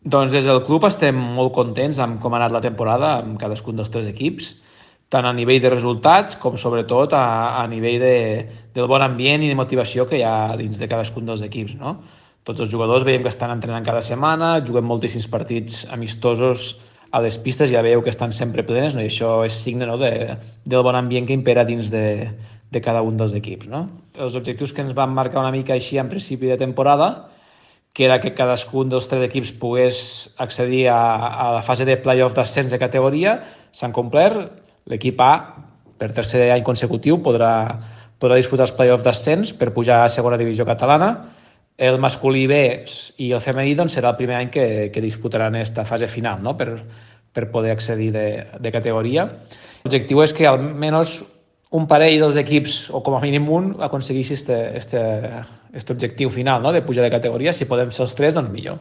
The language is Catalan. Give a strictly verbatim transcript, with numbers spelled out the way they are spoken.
Doncs des del club estem molt contents amb com ha anat la temporada amb cadascun dels tres equips, tant a nivell de resultats com sobretot a, a nivell de, del bon ambient i de motivació que hi ha dins de cadascun dels equips. No? Tots els jugadors veiem que estan entrenant cada setmana, juguem moltíssims partits amistosos a les pistes, ja veieu que estan sempre plenes, no? I això és signe, no? de, del bon ambient que impera dins de, de cada un dels equips. No? Els objectius que ens van marcar una mica així en principi de temporada, que era que cadascun dels tres equips pogués accedir a, a la fase de play-off d'ascens de categoria, s'han complert. L'equip A, per tercer any consecutiu, podrà, podrà disputar els play-off d'ascens per pujar a segona divisió catalana. El masculí B i el femení doncs, serà el primer any que, que disputaran aquesta fase final, no? per, per poder accedir de, de categoria. L'objectiu és que almenys un parell dels equips, o com a mínim un, aconsegueixi este, este, este objectiu final, no? de pujar de categoria. Si podem ser els tres, doncs millor.